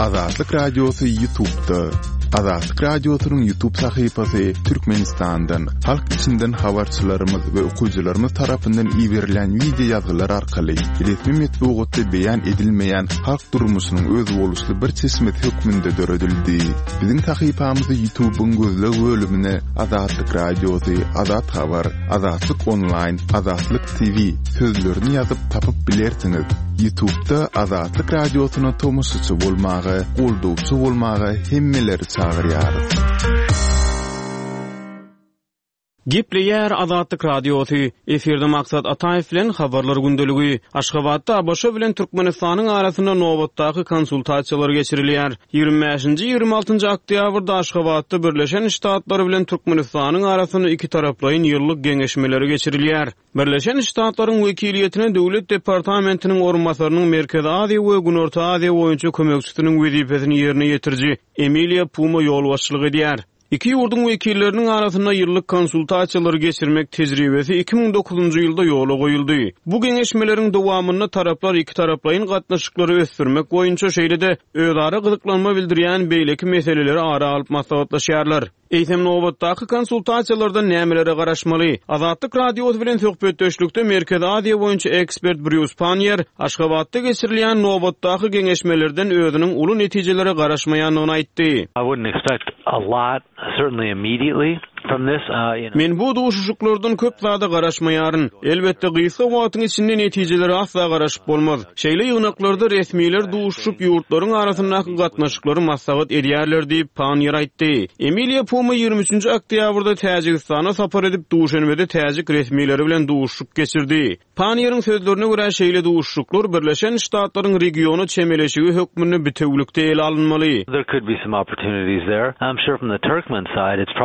Azatlyk Radiosy Ýutubda. Azatlyk Radiosynyň Ýutub sahypasy Türkmenistandan, halk içinden habarçylarymyz we okyjylarymyz tarapyndan iberilen wideo ýazgylar arkaly resmi metbugatda beýan edilmeýän halk durmuşynyň özboluşly bir çeşmesi hökmünde döredildi. Biziň sahypamyzy Ýutubyň gözleg bölümine Azatlyk Radiosy, Azat Habar, Azatlyk Onlaýn, Azatlyk TV sözlerini ýazyp tapyp bilersiňiz. Ýutubda Azatlyk Radiosyna tomaşaçy bolmaga, goldawçy bolmaga hemmeleri çagyrýarys. Gepleýär Azatlyk Radiosy, efirde Maksat Ataýew bilen Habarlar gündeligi. Aşgabatda ABŞ bilen Türkmenistanyň arasynda nobatdaky konsultasiýalar geçirilýär. Ýigrimi bäşinji, ýigrimi altynjy oktýabrda Aşgabatda Birleşen Ştatlar bilen Türkmenistanyň arasynda ikitaraplaýyn ýyllyk geňeşmeleri geçirilýär. Birleşen Ştatlaryň wekiliýetine Döwlet departamentiniň orunbasarynyň Merkezi Aziýa we Günorta Aziýa boýunça kömekçisiniň wezipesini ýerine ýetiriji Emiliýa Puma ýolbaşçylyk edýär. Iki ýurduň wekilleriniň arasynda ýyllyk konsultasiýalary geçirmek tejribesi 2009-njy ýylda ýola goýuldy. Bu geňeşmeleriň dowamynda taraplar ikitaraplaýyn gatnaşyklary ösdürmek boýunça, şeýle-de özara gyzyklanma bildirýän beýleki meseleleri ara alyp maslahatlaşýarlar. Eýsem, nobatdaky konsultasiýalardan nämelere garaşmaly? Azatlyk Radiosy bilen söhbetdeşlikde Merkezi Aziýa boýunça ekspert Brýus Panniýer Aşgabatda geçirilýän nobatdaky geňeşmelerden özüniň uly netijelere garaşmaýandygyny aýtdy. I wouldn't expect a lot, certainly immediately from this. Men bu duşuşyklardan köp zada garaşmaýaryn. Elbetde, gysga wagtyň içinde netijelere asla garaşyp bolmaz. Şeýle ýygnaklarda resmiler duşuşyp, ýurtlaryň arasyndaky gatnaşyklary maslahat edýärler diýip, Panniýer aýtdy. Emiliýa Puma 23-nji oktýabrda Täjigistana sapar edip, Duşenbede täjik resmileri bilen duşuşyk geçirdi. Panniýeriň sözlerine görä, şeýle duşuşyklar Birleşen Ştatlaryň regiona çemeleşigi hökmünde bitewülikde ele alynmaly.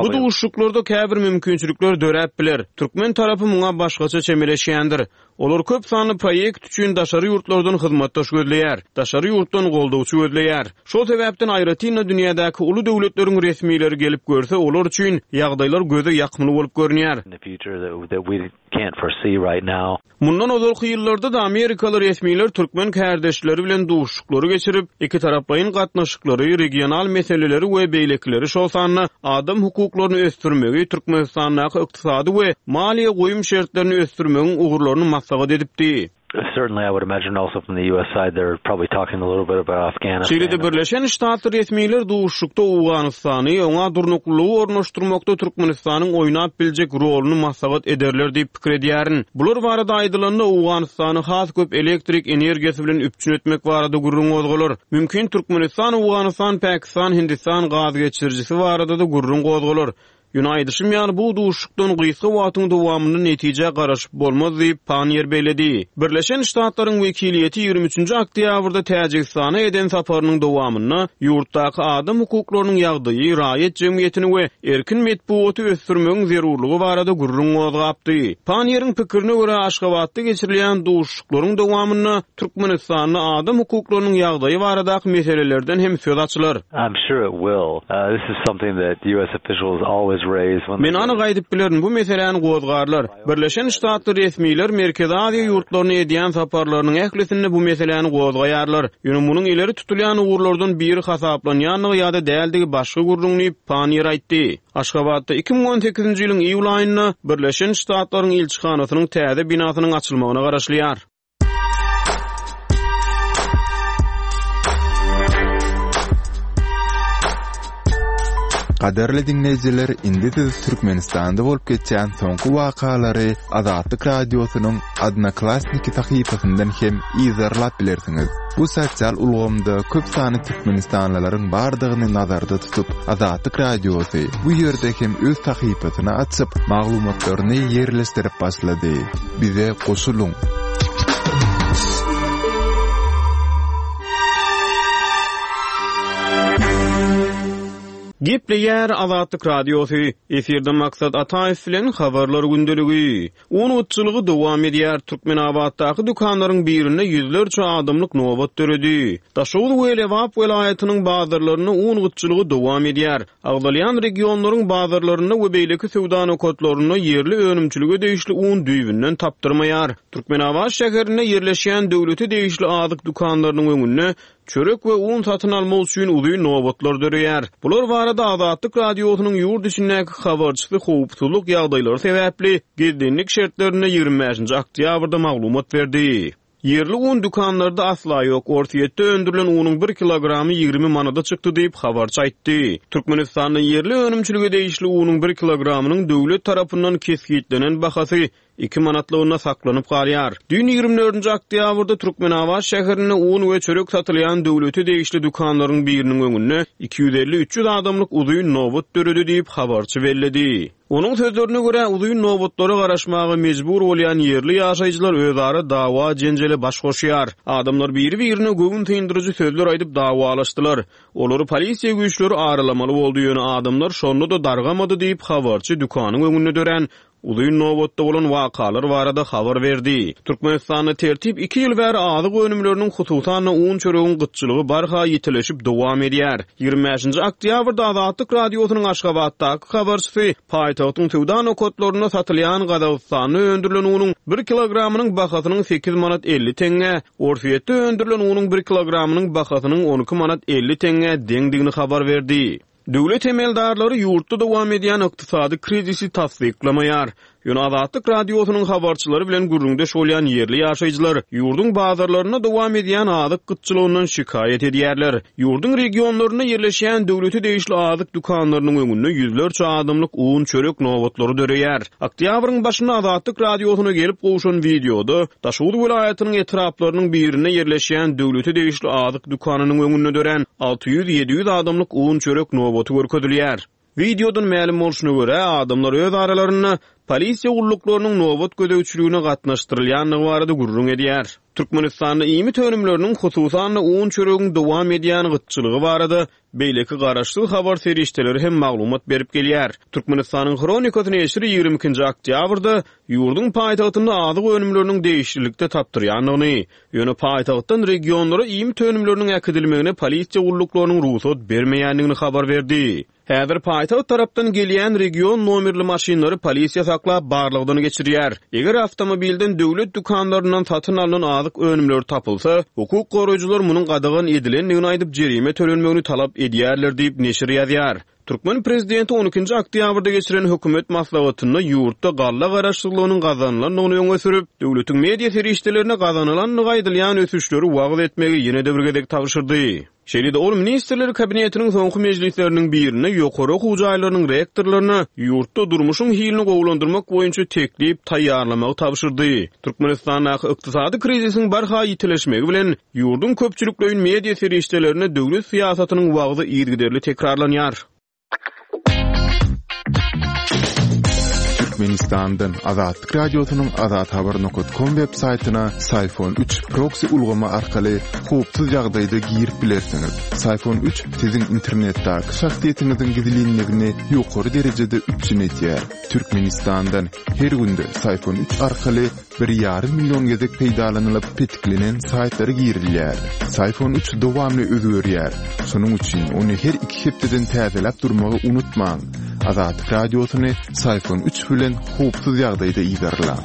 Bu duşuşyklarda käbir mümkinçilikler döräp biler. Türkmen tarapy muňa başgaça çemeleşýändir. Olar köp sanly proýekt üçin daşary ýurtlardan hyzmatdaş gözleýär, daşary ýurtdan goldawçy gözleýär. Şol sebäpden aýratyn-da dünýädäki uly döwletleriň resmileri gelip görse, olar üçin ýagdaýlar göze ýakymly bolup görünýär. Mundan ozalky ýyllarda-da amerikaly resmiler türkmen kärdeşleri bilen duşuşyklary geçirip, ikitaraplaýyn gatnaşyklary, regional meseleleri we beýlekileri, şol sanda adam hukuklaryny ösdürmegi, Türkmenistandaky ykdysady we maliýe goýum şertlerini ösdürmegiň ugurlaryny maslahat edipdi. Şeýle-de Birleşen Ştatly resmiler duşuşykda Owganystany, oňa durnuklylygy ornaşdyrmakda Türkmenistanyň oýnap biljek roluny maslahat ederler diýip pikir edýärin. Bular barada aýdylanda, Owganystany has köp elektrik energiýasy bilen üpjün etmek barada gürrüň gozgalar. Mümkin, Türkmenistan, Owganystan, Pakistan, Hindistan gaz geçirijisi barada-da gürrüň gozgalar. Ýöne aýdyşym ýaly, bu duşuşykdan gysga wagtyň dowamynda netijä garaşyp bolmaz diýip, Panniýer belledi. Birleşen Ştatlaryň wekiliýeti 23-nji oktýabrda Täjigistana eden saparynyň dowamynda ýurtdaky adam hukuklarynyň ýagdaýy, raýat jemgyýetini we erkin metbugaty ösdürmegiň zerurlygy barada gürrüň gozgapdy. Panniýeriň pikirine görä, Aşgabatda geçirilýän duşuşyklaryň dowamynda Türkmenistanda adam hukuklarynyň ýagdaýy baradaky meselelerden hem söz açylar. I'm sure it will. This is something that US officials always raise when Men anyk aýdyp bilerin, bu meseläni gozgarlar. Birleşen Ştatly resmiler Merkezi Aziýa ýurtlaryna edýän saparlarynyň ählisinde bu meseläni gozgaýarlar. Ýöne munuň ileri tutulýan ugurlardan biri hasaplanýandygy ýa-da däldigi başga gürrüň diýip, Panniýer aýtdy. Aşgabatda 2018-nji ýylyň iýul aýynda Birleşen Ştatlaryň ilçihanasynyň täze binasynyň açylmagyna garaşylýar. Gadyrly diňleýjiler, indi siz Türkmenistanda bolup geçýän soňky wakalary Azatlyk Radiosynyň Odnoklassniki sahypasyndan hem yzarlap bilersiňiz. Bu sosial ulgamda köp sanly türkmenistanlylaryň bardygyny nazarda tutup, Azatlyk Radiosy bu ýerde hem öz sahypasyny açyp, maglumatlaryny ýerleşdirip başlady. Bize goşulyň! Gepleýär Azatlyk Radiosy, efirde Maksat Ataýew bilen Habarlar gündeligi. Un gytçylygy dowam edýär, Türkmenabatdaky dükanlaryň birinde ýüzlerçe adamlyk nobat döredi. Daşoguz we Lebap welaýatynyň bazarlarynda un gytçylygy dowam edýär. Agzalýan regionlaryň bazarlarynda we beýleki söwda nokatlarynda ýerli önümçilige degişli un düýbünden tapdyrmaýar. Türkmenabat şäherinde ýerleşýän döwlete degişli azyk dükanlarynyň öňünde. Çörek we un satyn almak üçin uzyn nobatlar döreýär. Bular barada Azatlyk Radiosynyň ýurt içindäki habarçysy howpsuzlyk ýagdaýlary sebäpli gizlinlik şertlerinde 25-nji oktýabrda maglumat berdi. Ýerli un dükanlarda asla ýok, Orsýetde öndürilen unuň bir kilogramy 20 manada çykdy diýip, habarçy aýtdy. Türkmenistanda ýerli önümçilige degişli unuň bir kilogramynyň döwlet tarapyndan kesgitlenen bahasy iki manatlygynda saklanyp galýar. Düýn 24-nji oktýabrda Türkmenabat şäherinde un we çörek satylýan döwlete degişli dükanlaryň biriniň öňünde 250-300 adamlyk uzyn nobat döredi diýip, habarçy belledi. Onuň sözlerine görä, uzyn nobatlara garaşmaga mejbur bolýan ýerli ýaşaýjylar özara dawa-jenjele baş goşýar. Adamlar biri-birine göwün syndyryjy sözler aýdyp dawalaşdylar. Olary polisiýa güýçleri aralamaly boldy, ýöne adamlar şonda-da dargamady diýip, habarçy dükanyň öňünde dörän uzyn nobatda bolan wakalar barada habar berdi. Türkmenistanda tertip iki ýyl bäri azyk önümleriniň, hususan-da, un-çöregiň gytçylygy barha ýitileşip dowam edýär. 25-nji oktýabrda Azatlyk Radiosynyň Aşgabatdaky habarçysy paýtagtyň söwda nokatlarynda satylýan Gazagystanda öndürilen unuň bir kilogramynyň bahasynyň sekiz manat 50 teňňä, Orsýetde öndürilen unuň bir kilogramynyň bahasynyň 12 manat 50 teňňä deňdigini habar berdi. Döwlet emeldarlary ýurtda dowam edýän ykdysady krizisi tassyklamaýar. Ýöne Azatlyk Radiosynyň habarçylary bilen gürrüňdeş bolýan ýerli ýaşaýjylar ýurduň bazarlarynda dowam edýän azyk gytçylygyndan şikaýat edýärler. Ýurduň regionlarynda ýerleşýän döwlete degişli azyk dükanlarynyň öňünde ýüzlerçe adamlyk un, çörek nobatlary döreýär. Oktýabryň başynda Azatlyk Radiosyna gelip gowşan wideoda Daşoguz welaýatynyň etraplarynyň birinde ýerleşýän döwlete degişli azyk dükanynyň öňünde dörän 600-700 adamlyk un-çörek nobaty görkezilýär. Wideodan mälim bolşuna görä, adamlar öz aralarynda polisiýa gulluklarynyň nobat gözegçiligine gatnaşdyrylýandygy barada gürrüň edýär. Türkmenistanda iýmit önümleriniň, hususan-da, un-çöregiň dowam edýän gytçylygy barada Beýleki garaşsyz habar serişdeleri hem maglumat berip gelýär. Türkmenistanyň Hronikasy neşiri 22-nji oktýabrda ýurduň paýtagtynda azyk önümleriniň degişlilikde tapdyrýandygyny, ýöne paýtagtdan regionlara iýmit önümleriniň äkidilmegine polisiýa gulluklarynyň rugsat bermeýändigini habar berdi. Häzir paýtagt tarapdan gelýän region nomerli maşynlary polisiýa saklap, barlagdan geçirýär. Eger awtomobilden döwlet dükanlaryndan satyn alnan azyk önümleri tapylsa, hukuk goraýjylar munuň gadagan edilendigini aýdyp, jerime tölenmegini talap edýärler diýip, neşir ýazýar. Türkmen prezidenti on ikinji oktýabrda geçiren hökümet maslahatynda ýurtda galla garaşsyzlygynyň gazanylandygyny öňe sürüp, döwletiň media serişdelerine gazanylandygy aýdylýan ösüşleri wagyz etmegi ýene-de bir gezek tabşyrdy. Şeýle-de ol Ministrler Kabinetiniň soňky mejlisleriniň birinde ýokary okuw jaýlarynyň rektorlaryna ýurtda durmuşyň hilini gowulandyrmak boýunça teklip taýýarlamagy tabşyrdy. Türkmenistandaky ykdysady krizisiň barha ýitileşmegi bilen, ýurduň köpçülikleýin media serişdelerinde döwlet syýasatynyň wagzy yzygiderli tekrarlanýar. Türkmenistandan Azatlyk Radiosynyň Azathabar nokat kom web saýtyna Syfon 3 proksi ulgamy arkaly howpsuz ýagdaýda girip bilersiňiz. Syfon 3 siziň internetdäki şahsyýetiňiziň gizlinligini ýokary derejede üpjün edýär. Türkmenistandan her günde Syfon 3 arkaly Bir ýarym million gezek peýdalanylyp petiklenen saýtlara girilýär. Syfon 3 dowamly özgerýär. Şonuň üçin ony her iki hepdeden täzeläp durmagy unutmaň. Azatlyk Radiosyny Syfon 3 bilen howpsuz ýagdaýda yzarlaň.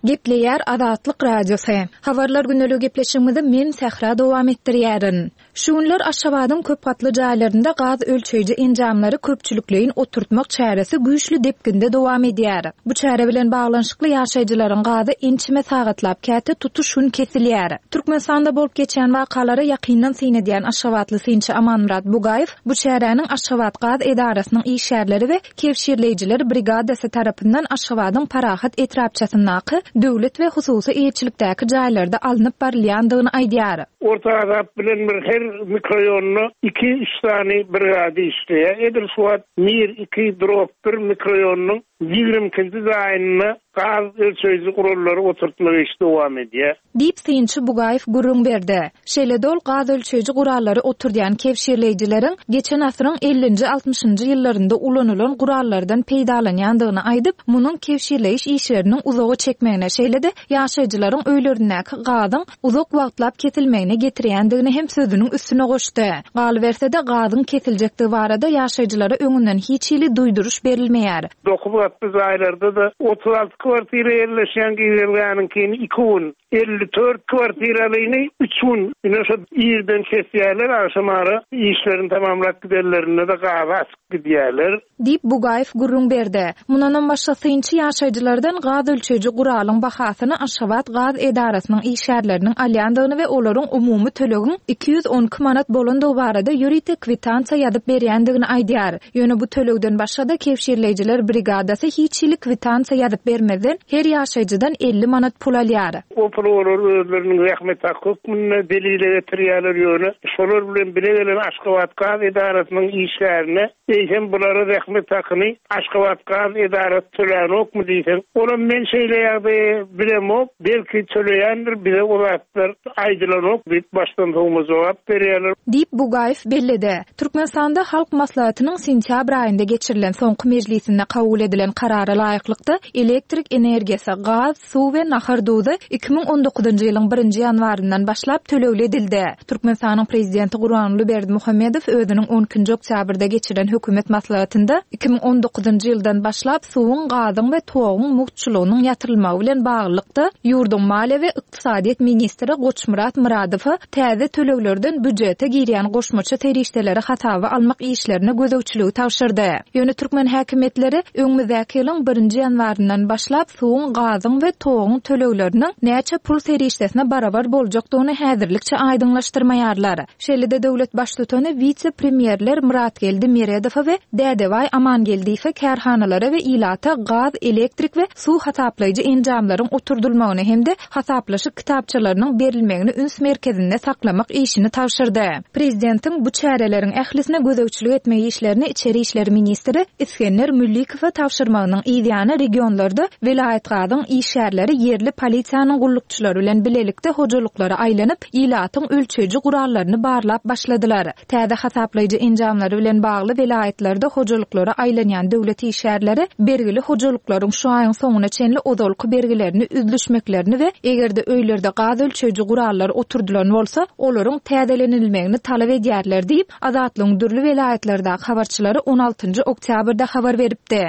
Gepleýär Azatlyk Radiosy. Habarlar gündeligi gepleşigimizi men Sähra dowam etdirýärin. Şu günler Aşgabadyň köp gatly jaýlarynda gaz ölçeýji enjamlary köpçülikleýin oturtmak çäresi güýçli depginde dowam edýär. Bu çäre bilen baglanyşykly ýaşaýjylaryň gazy ençeme sagatlap, käte tutuş gün kesilýär. Türkmenistanda bolup geçýän wakalara ýakyndan syn edýän aşgabatly synçy Amanmyrat Bugaýew bu çäräniň Aşgabatgaz edarasynyň işgärleri we Kebşirleýjiler brigadasy tarapyndan Aşgabadyň Parahat etrapçasyndaky döwlet we hususy eýeçilikdäki jaýlarda alnyp barylýandygyny aýdýar. Orta Azap bilen bir her mikroýonda iki-üç sany brigada işleýär. Edil şu wagt Mir iki drop bir mikroýonynyň 22-nji jaýynda gaz ölçeýji gurallary oturtmak işi dowam edýär. Diýip, synçy Bugaýew gürrüň berdi. Şeýle-de ol gaz ölçeýji gurallary oturdýan kebşirleýjileriň geçen asyryň ellinji-altmyşynjy ýyllarynda ulanylan gurallardan peýdalanýandygyny aýdyp, munuň kebşirleýiş işleriniň uzaga çekmegine, şeýle-de ýaşaýjylaryň öýlerindäki gazyň uzak wagtlap kesilmegine getirýändigini hem sözüniň üstüne goşdy. Galyberse-de, gazyň kesiljekdigi barada ýaşaýjylara öňünden hiç hili duýduryş berilmeýär. Dokuz gatly jaýlarda-da 36 kwartira ýerleşýän girelgäniňkini iki gün. 54 kwartiralyny üç gün ine şo irden kesýärler, agşamara işlerini tamamlap gidenlerinde-de gazy açyp gidýärler. Diýip, Bugaýew gürrüň berdi. Mundanam başga synçy ýaşaýjylardan gaz ölçeýji guralyň bahasyny Aşgabat gaz edarasynyň işgärleriniň alýandygyny we olaryň umumy tölegiň 212 manat bolandygy barada ýörite kwitansiýa ýazyp berýändigini aýdýar. Ýöne bu tölegden başga-da kebşirleýjiler brigadasy hiç hili kwitansiýa ýazyp bermezden, her ýaşaýjydan 50 manat pul alýar. O puly olar özleriniň zähmet haky hökmünde delile getirýärler, ýöne şolar bilen bile gelen Aşgabatgaz edarasynyň işgärine Eýsem bulara zähmet hakyny Aşgabatgaz edarasy tölänokmy diýseň, olam men şeýle ýagdaýy bilemok, belki töleýändir, bize o zatlar aýdylanok diýip başdan sowma jogap berýärler. Diýip, Bugaýew belledi. Türkmenistanda Halk Maslahatynyň sentýabr aýynda geçirilen soňky mejlisinde kabul edilen karara laýyklykda, elektrik energiýasy, gaz, suw we nahar duzy 2019-njy ýylyň birinji ýanwaryndan başlap tölegli edildi. Türkmenistanyň Prezidenti Gurbanguly Berdimuhamedow özüniň on ikinji oktýabrda geçiren hökümet maslahatynda 2019-njy ýyldan başlap suwuň, gazyň we toguň mugtçulygynyň ýatyrylmagy bilen baglylykda ýurduň maliýe we ykdysadyýet ministri Goçmyrat Myradowa täze töleglerden býujete girýän goşmaça serişdeleri hasaba almak işlerine gözegçiligi tabşyrdy. Ýöne türkmen häkimiýetleri öňümizdäki ýylyň birinji ýanwaryndan başlap suwuň, gazyň we toguň tölegleriniň näçe pul serişdesine barabar boljakdygyny häzirlikçe aýdyňlaşdyrmaýarlar. Şeýle-de döwlet baştutany wise-premýerler Myratgeldi Meredowa we Dädebaý Amangeldiýewe kärhanalara we ilata gaz, elektrik we suw hasaplaýjy enjamlaryň oturdylmagyny hem-de hasaplaşyk kitapçalarynyň berilmegini üns merkezinde saklamak işini tabşyrdy. Prezidentiň bu çäreleriň ählisine gözegçilik etmek işlerini içeri işler ministri Isgender Müllikowa tabşyrmagynyň yzýany regionlarda welaýatgazyň işgärleri ýerli polisiýanyň gullukçylary bilen bilelikde hojalyklara aýlanyp, ilatyň ölçeýji gurallaryny barlap başladylar. Täze hasaplaýjy enjamlary bilen bagly welaýatlarda hojalyklara aýlanýan döwlet işgärleri bergili hojalyklaryň şu aýyň soňuna çenli ozalky bergilerini üzlüşmeklerini we eger-de öýlerde gaz ölçeýji gurallar oturdylan bolsa, olaryň täzelenilmegini talap edýärler diýip, Azatlygyň dürli welaýatlardaky habarçylary on altynjy oktýabrda habar beripdi.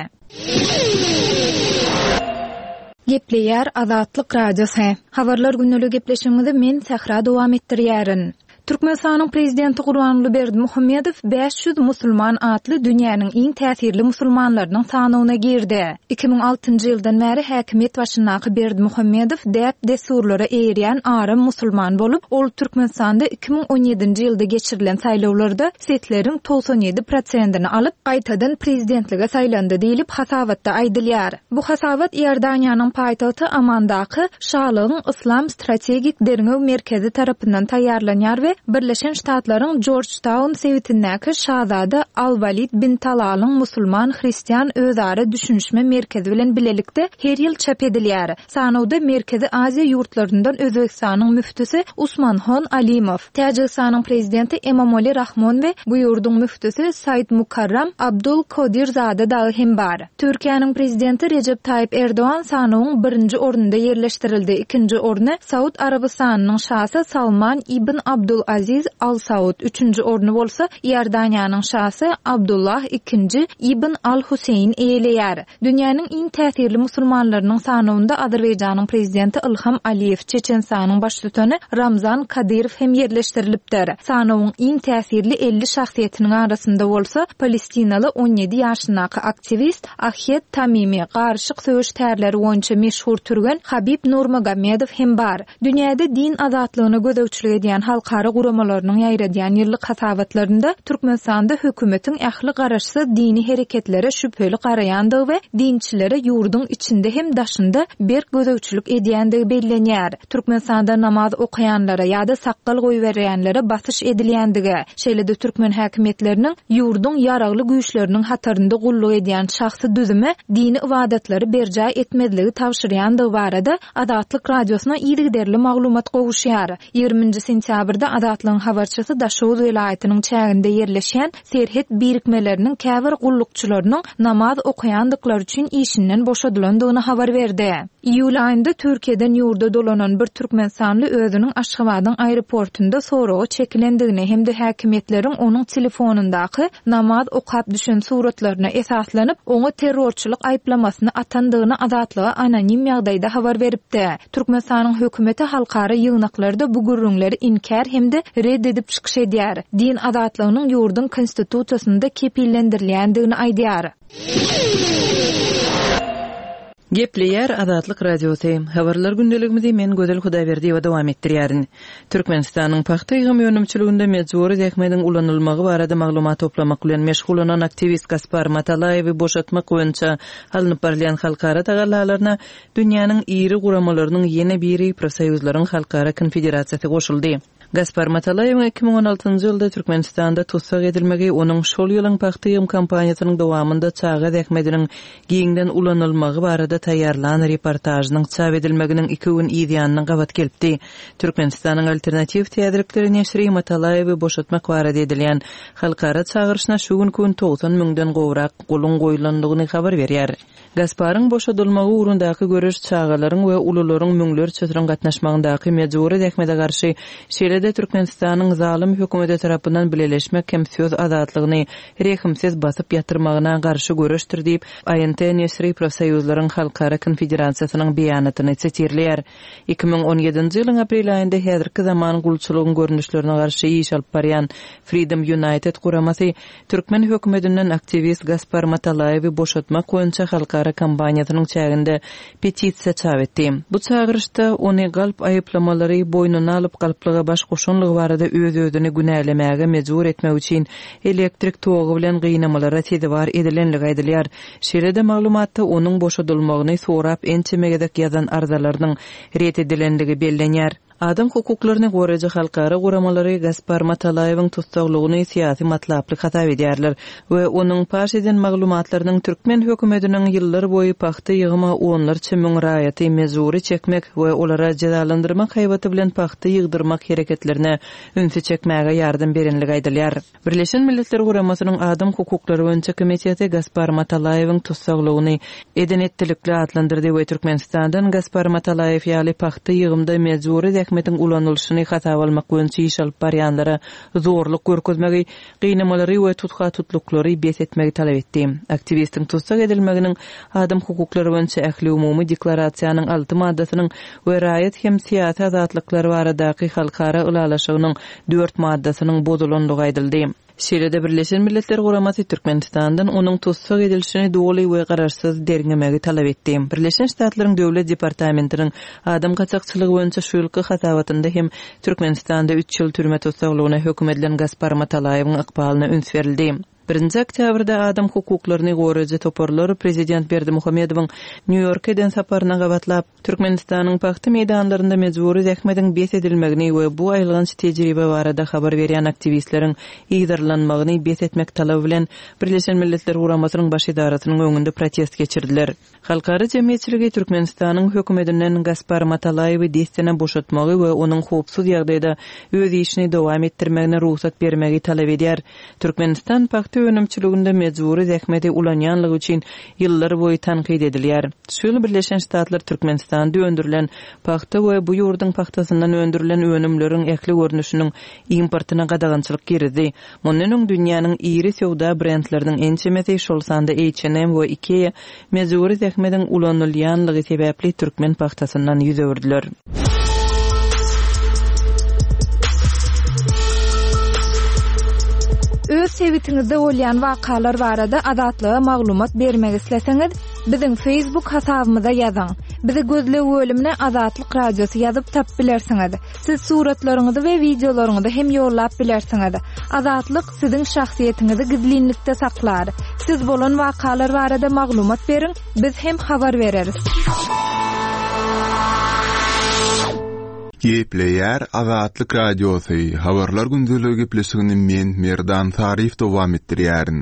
Gepleýär Azatlyk Radiosy. Habarlar gündelik gepleşigimizi men Sähra dowam etdirýärin. Türkmenistanyň Prezidenti Gurbanguly Berdimuhamedow 500 musulman atly dünýäniň iň täsirli musulmanlarynyň sanawyna girdi. 2006-njy ýyldan bäri häkimiýet başyndaky Berdimuhamedow däp-dessurlara eýerýän aram musulman bolup, ol Türkmenistanda 2017-nji ýylda geçirilen saýlawlarda sesleriň 97 prosentini alyp, gaýtadan prezidentlige saýlandy diýlip, hasabatda aýdylýar. Bu hasabat Iordaniýanyň paýtagty Amandaky Şalygyň Yslam strategik derňew merkezi tarapyndan taýýarlanýar we Birleşen Ştatlaryň Jorjtaun sebitindäki Şazada Al-Walid bin Talalyň musulman-hristian özara düşünişme merkezi bilen bilelikde her ýyl çap edilýär. Sanawda Merkezi Aziýa ýurtlaryndan Özbegistanyň müftüsi Usmanhon Alimow, Täjigistanyň Prezidenti Emomali Rahmon we bu ýurduň müftüsi Saidmukarram Abdul Kodirzada dagy hem bar. Türkiýäniň Prezidenti Rejep Taýyp Erdogan sanawyň birinji ornunda ýerleşdirildi, ikinji orny Saud Arabystanynyň şasy Salman ibn Abdul Aziz Al Saud, üçünji orny bolsa Iordaniýanyň şasy Abdullah ikinji ibn Al Huseýn eýeleýär. Dünýäniň iň täsirli musulmanlarynyň sanawynda Azerbaýjanyň Prezidenti Ilham Aliýew, Çeçenistanyň Baştutany Ramzan Kadyrow hem ýerleşdirilipdir. Sanawyň iň täsirli 50 şahsyýetiniň arasynda bolsa palestinaly 17 ýaşyndaky aktiwist Ahed Tamimi, garyşyk söweş tärleri boýunça meşhur türgen Habib Nurmagomedow hem bar. Dünýäde din azatlygyna gözegçilik edýän halkara guramalarynyň ýaýradýan ýyllyk hasabatlarynda Türkmenistanda hökümetiň ähli garaşsyz dini hereketlere şübheli garaýandygy we dinçilere ýurduň içinde hem daşynda berk gözegçilik edýändigi bellenýär. Türkmenistanda namaz okaýanlara ýa-da sakgal goýberýänlere basyş edilýändigi, şeýle-de türkmen häkimiýetleriniň ýurduň ýaragly güýçleriniň hatarynda gulluk edýän şahsy düzüme dini ybadatlary berjaý etmezligi tabşyrýandygy barada Azatlyk Radiosyna yzygiderli maglumat gowuşýar. Ýigriminji sentýabrda. Azatlygyň habarçysy Daşoguz welaýatynyň çäginde ýerleşýän serhet birikmeleriniň käbir gullukçylarynyň namaz okaýandyklary üçin işinden boşadylandygyny habar berdi. Iýul aýynda Türkiýeden ýurda dolanan bir türkmenistanly özüniň Aşgabadyň aeroportunda soraga çekilendigini hem-de häkimiýetleriň onuň telefonyndaky namaz okap düşen suratlaryna esaslanyp, oňa terrorçylyk aýyplamasyny atandygyny Azatlyga anonim ýagdaýda habar beripdi. Türkmenistanyň hökümeti halkara ýygnaklarda bu gürrüňleri inkär hem-de red edip çykyş edýär, din azatlygynyň ýurduň Konstitusiýasynda kepillendirilýändigini aýdýar. Gepleýär Azatlyk Radiosy. Habarlar gündeligimizi men Gözel Hudaýberdiýewa dowam etdirýärin. Türkmenistanyň pagta ýygym önümçiliginde mejbury zähmediň ulanylmagy barada maglumat toplamak bilen meşgullanan aktiwist Gaspar Matalaýewi boşatmak boýunça alnyp barylýan halkara tagallalaryna dünýäniň iri guramalarynyň ýene biri Profsoýuzlaryň halkara konfederasiýasy goşuldy. Gaspar Matalaýewiň 2016-njy ýylda Türkmenistanda tussag edilmegi onuň şol ýylyň pagta ýygym kampaniýasynyň dowamynda çaga zähmediniň giňden ulanylmagy barada taýýarlan reportažynyň çap edilmeginiň iki gün yz ýanyna gabat gelipdi. Türkmenistanyň Alternatiw täzelikleri neşiri Matalaýewi boşatmak barada edilýän halkara çagyryşyna şu günki gün 90 müňden gowrak goluň goýlandygyny habar berýär. Gasparyň boşadylmagy ugrundaky göreş çagalaryň we ulularyň müňlerçesiniň gatnaşmagyndaky mejbury zähmete garşy, şeýle-de Türkmenistanyň zalym hökümeti tarapyndan bileleşmek hem söz azatlygyny rehimsiz basyp ýatyrmagyna garşy göreşdir diýip, ANT neşiri Profsoýuzlaryň halkara konfederasiýasynyň beýanatyny sitirleýär. 2017-nji ýylyň aprel aýynda häzirki zaman gulçulygyň görnüşlerine garşy iş alyp barýan Freedom United guramasy Türkmen hökümetinden aktiwist Gaspar Matalaýewi boşatmak boýunça halkara kampaniýasynyň çäginde petisiýa çap etdi. Bu çagyryşda ony galp aýyplamalary boýnuna alyp galplyga baş goşanlygy barada öz-özüni günälemäge mejbur etmek üçin elektrik togy bilen gynamalara sezewar edilenligi aýdylýar. Şeýle-de maglumatda onuň boşadylmagyny sorap ençeme gezek ýazan arzalarynyň ret edilenligi bellenýär. Adam hukuklaryny goraýjy halkara guramalary Gaspar Matalaýewiň tussaglygyny syýasy matlaply hasap edýärler we onuň paş eden maglumatlarynyň türkmen hökümetiniň ýyllar boýy pagta ýygyma onlarça müň raýaty mejbury çekmek we olara jezalandyrmak haýbaty bilen pagta ýygdyrmak hereketlerine ünsi çekmäge ýardam berenligi aýdylýar. Birleşen Milletler Guramasynyň Adam hukuklary boýunça komiteti Gaspar Matalaýewiň tussaglygyny eden-etdilikli atlandyrdy we Türkmenistandan Gaspar Matalaýew ýaly pagta ýygymda mejbury zähmetiň ulanylyşyny hasaba almak boýunça iş alyp barýanlara zorluk görkezmegi, gynamalary we tutha-tutluklary bes etmegi talap etdi. Aktiwistiň tussag edilmeginiň Adam hukuklary boýunça Ähliumumy deklarasiýanyň alty maddasynyň we raýat hem syýasy azatlyklar baradaky halkara ylalaşygynyň dört maddasynyň bozulandygy aýdyldy. Şeýle-de Birleşen Milletler Guramasy Türkmenistandan onuň tussag edilişini doly we garaşsyz derňemegi talap etdi. Birleşen Ştatlaryň Döwlet departamentiniň adam gaçakçylygy boýunça şu ýylky hasabatynda hem Türkmenistanda üç ýyl türme tussaglygyna höküm edilen Gaspar Matalaýewiň ykbalyna üns berildi. Birinji oktýabrda adam hukuklaryny goraýjy toparlar prezident Berdimuhamedowyň Nýu-Ýorka eden saparyna gabatlap, Türkmenistanyň pagta meýdanlarynda mejbury zähmediň bes edilmegini we bu aýylganç tejribe barada habar berýän aktiwistleriň yzarlanmagyny bes etmek talaby bilen Birleşen Milletler Guramasynyň Baş edarasynyň öňünde protest geçirdiler. Halkara jemgyýetçiligi Türkmenistanyň hökümetinden Gaspar Matalaýewi dessine boşatmagy we onuň howpsuz ýagdaýda öz işini dowam etdirmegine rugsat bermegi talap edýär. Türkmenistan pagta önümçiliginde mejbury zähmeti ulanýanlygy üçin ýyllar boýy tankyt edilýär. Şu ýyl Birleşen Ştatlar Türkmenistanda öndürilen pagta we bu ýurduň pagtasyndan öndürilen önümleriň ähli görnüşiniň importyna gadagançylyk girizdi. Mundan öň dünýäniň iri söwda brendleriniň ençemesi, şol sanda H&M we Ikea mejbury zähmediň ulanylýanlygy sebäpli türkmen pagtasyndan ýüz öwürdiler. Öz sebitiňizde bolýan wakalar barada Azatlyga maglumat bermek isleseňiz, biziň Facebook hasabymyza ýazyň. Bizi gözleg bölümine Azatlyk Radiosy ýazyp tapyp bilersiňiz. Siz suratlaryňyzy we wideolaryňyzy hem ýollap bilersiňiz. Azatlyk siziň şahsyýetiňizi gizlinlikde saklar. Siz bolan wakalar barada maglumat beriň, biz hem habar bereris. Gepleýär Azatlyk Radiosy, Habarlar gündeligi gepleşigini men, Merdan Saryýew dowam etdirýärin.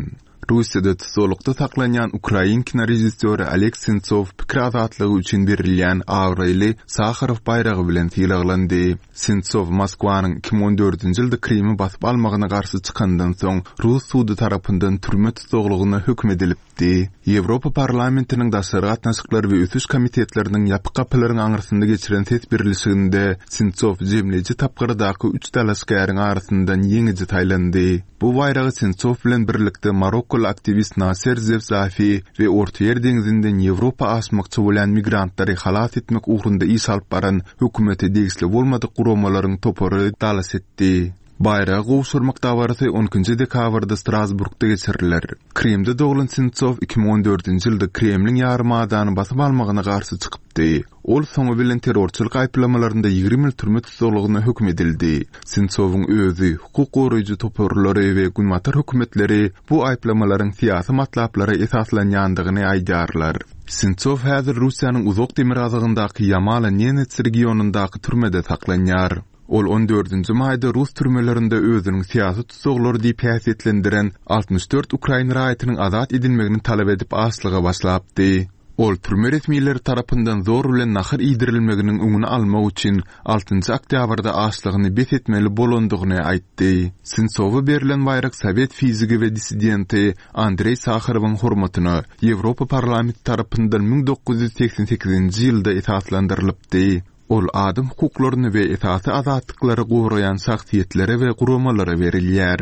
Russiýada tussaglykda saklanýan ukrain kinorežissýory Oleg Sentsow pikir azatlygy üçin berilýän abraýly Saharow baýragy bilen sylaglandy. Sentsow Moskwanyň 2014-nji ýylda Krymy basyp almagyna garşy çykandan soň, rus sudy tarapyndan türme tussaglygyna höküm edilipdi. Ýewropa Parlamentiniň Daşary gatnaşyklar we ösüş komitetleriniň ýapyk gapylaryň aňyrsynda geçiren ses berlişiginde Sentsow jemleýji tapgyrdaky üç dalaşgäriň arasyndan ýeňiji saýlandy. Bu baýragy Sentsow bilen birlikde marokkoly aktiwist Naser Zefzafi we Ortaýer deňzinden Ýewropa aşmakçy bolýan migrantlary halas etmek ugrunda iş alyp baran hökümete degişli bolmadyk guramalaryň topary dalaş etdi. Baýragy gowşurmak dabarasy on ikinji dekabrda Strasburgda geçiriler. Krymda doglan Sentsow 2014-nji ýylda Kremliň ýarymadany basyp almagyna garşy çykypdy. Ol soňy bilen terrorçylyk aýyplamalarynda 20 ýyl türme tussaglygyna höküm edildi. Sentsowyň özi, hukuk goraýjy toparlary we günbatar hökümetleri bu aýyplamalaryň syýasy matlaplara esaslanýandygyny aýdýarlar. Sentsow häzir Russiýanyň uzak demirgazygyndaky Ýamalo-Nenets regionyndaky türmede saklanýar. Ol on dördünji maýda rus türmelerinde özüniň syýasy tussaglary diýip häsiýetlendiren 64 ukrain raýatynyň azat edilmegini talap edip açlyga başlapdy. Ol türme resmileri tarapyndan zor bilen nahar iýdirilmeginiň öňüni almak üçin altynjy oktýabrda açlygyny bes etmeli bolandygyny aýtdy. Sentsowa berlen baýrak sowet fizigi we dissidenti Andreý Saharowyň hormatyna Ýewropa Parlamenti tarapyndan 1988-nji ýylda esaslandyrylypdy. Ol adam hukuklaryny we esasy azatlyklary goraýan şahsyýetlere we guramalara berilýär.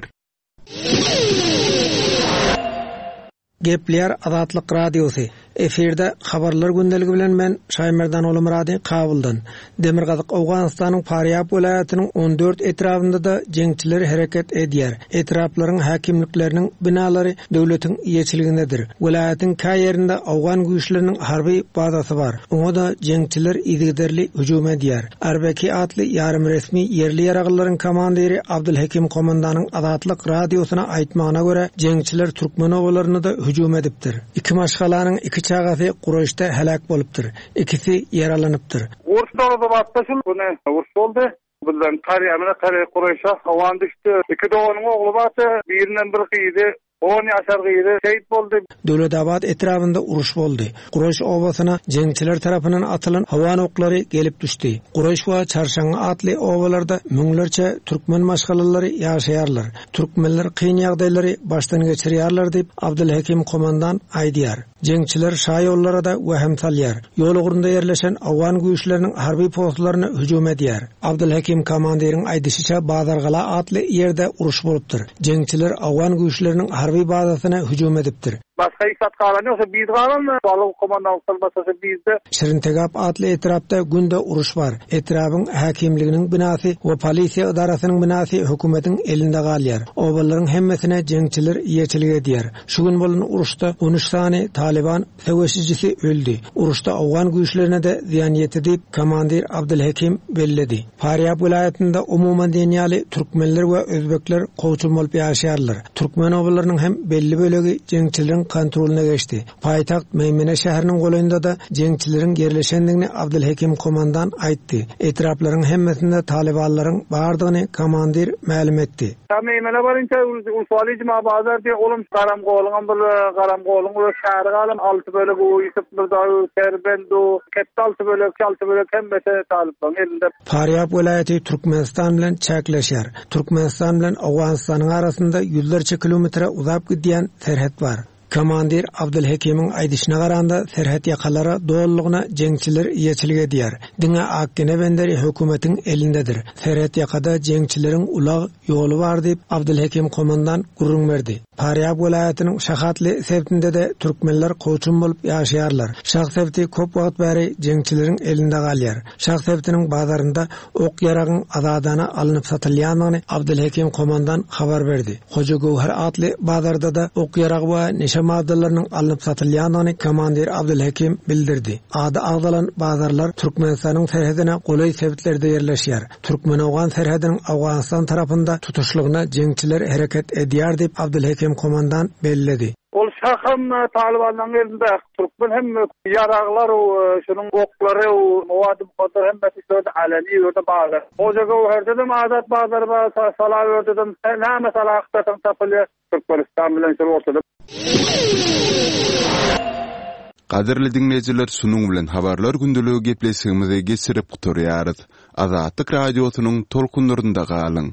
Gepleýär Azatlyk Radiosy. Efirde Habarlar gündeligi bilen men Şaýmerdan Ogulmyrady Kabuldan. Demirgazyk Owganystanyň Farýab welaýatynyň 14 etrabynda-da jeňçiler hereket edýär. Etraplaryň häkimlikleriniň binalary döwletiň eýeçiligindedir. Welaýatyň kä ýerinde owgan güýçleriniň harby bazasy bar. Oňa-da jeňçiler yzygiderli hüjüm edýär. Arbeki atly ýarym-resmi ýerli ýaraglylaryň komandiri Abdylhekim komandanyň Azatlyk Radiosyna aýtmagyna görä, jeňçiler türkmen obalaryna-da hüjüm edipdir. Iki maşgalanyň iki çagasy Kuraýyşda heläk bolupdyr, ikisi ýaralanypdyr. Uruş Dowlatabatda şul güni uruş boldy. Bizden Karýamyna Kary Kuraýşa hawan düşdi. Iki doganyň ogly bardy, birinden bir gyzy On ýaşar gyzy şehit boldy. Döwletabat etrabynda uruş boldy. Kuraýyş obasyna jeňçiler tarapyndan atylan hawan oklary gelip düşdi. Kuraýyş we Çarşaňňy atly obalarda müňlerçe türkmen maşgalalary ýaşaýarlar. Türkmenler kyn ýagdaýlary başdan geçirýärler diýip, Abdylhekim komandan aýdýar. Jeňçiler şaýollara-da wehim salýar. Ýol ugrunda ýerleşen owgan güýçleriniň harby postlaryna hüjüm edýär. Abdylhekim komandiriň aýdyşyça Bazargala atly ýerde uruş bolupdyr. Jeňçiler owgan güýçleriniň harby bazasyna hüjüm edipdir. Başga hiç zat galan ýok, şo biz galan, balyk komandanlykdan başga şo bizde. Şirintegap atly etrapda günde uruş bar. Etrabyň häkimliginiň binasy we polisiýa edarasynyň binasy hökümetiň elinde galýar. Obalaryň hemmesine jeňçiler eýeçilik edýär. Şu gün bolan uruşda on üç sany Talyban söweşijisi öldi. Uruşda owgan güýçlerine-de zyýan ýetdi diýip, komandir Abdylhekim belledi. Farýab welaýatynda umuman diýen ýaly türkmenler we özbekler kowçum bolup ýaşaýarlar. Türkmen obalarynyň hem belli bölegi jeňçileriň kontrolyna geçdi. Paýtagt Meýmene şäheriniň golaýynda-da jeňçileriň ýerleşendigini Abdylhekim komandan aýtdy. Etraplaryň hemmesinde talybanlaryň bardygyny komandir mälim etdi. Ta Meýmene barynça Ulfaly Juma bazar diýe olam Garamgoluňam bir Garamgoluň öz şäheri galan alty bölek u Ýusup Myrza u Serbend u Ketde alty bölek alty bölek hemmesi talyplaryň elinde. Farýab welaýaty Türkmenistan bilen çäkleşýär. Türkmenistan bilen Owganystanyň arasynda ýüzlerçe kilometre uzap gidýän serhet bar. Komandir Abdylhekimiň aýdyşyna garanda, serhet ýakalara dolulygyna jeňçiler eýeçilik edýär. Diňe Akgene benderi hökümetiň elindedir. Serhet ýakada jeňçileriň ulag ýoly bar diýip, Abdylhekim komandan gürrüň berdi. Farýab welaýatynyň Şahatly sebitinde-de türkmenler kowçum bolup ýaşaýarlar. Şah sebiti köp wagt bäri jeňçileriň elinde galýar. Şah sebitiniň bazarynda ok-ýaragyň azadana alnyp satylýandygyny Abdylhekim komandan habar berdi. Hoja Göwher atly bazarda-da ok-ýarag we neşe maddalarynyň alnyp satylýandygyny komandir Abdylhekim bildirdi. Ady agzalan bazarlar Türkmenistanyň serhedine golaý sebitlerde ýerleşýär. Türkmen-owgan serhediniň Owganystan tarapynda tutuşlygyna jeňçiler hereket edýär diýip, Abdylhekim komandan belledi. Ol şaham talybanlaryň elinde, türkmen hem ýaraglar, şunuň oklary, mowady-mukaddar hemmesi şu ýerde aleni ýerde bazar. Hoja Göwherdedem azat bazary bar, Salawerdedem näme sala agtarsaň tapylýar. Türkmenistan bilen şol ortada. Gadyrly diňleýjiler şunuň bilen Habarlar gündeligi gepleşigimizi geçirip gutarýarys. Azatlyk Radiosynyň tolkunlarynda galyň!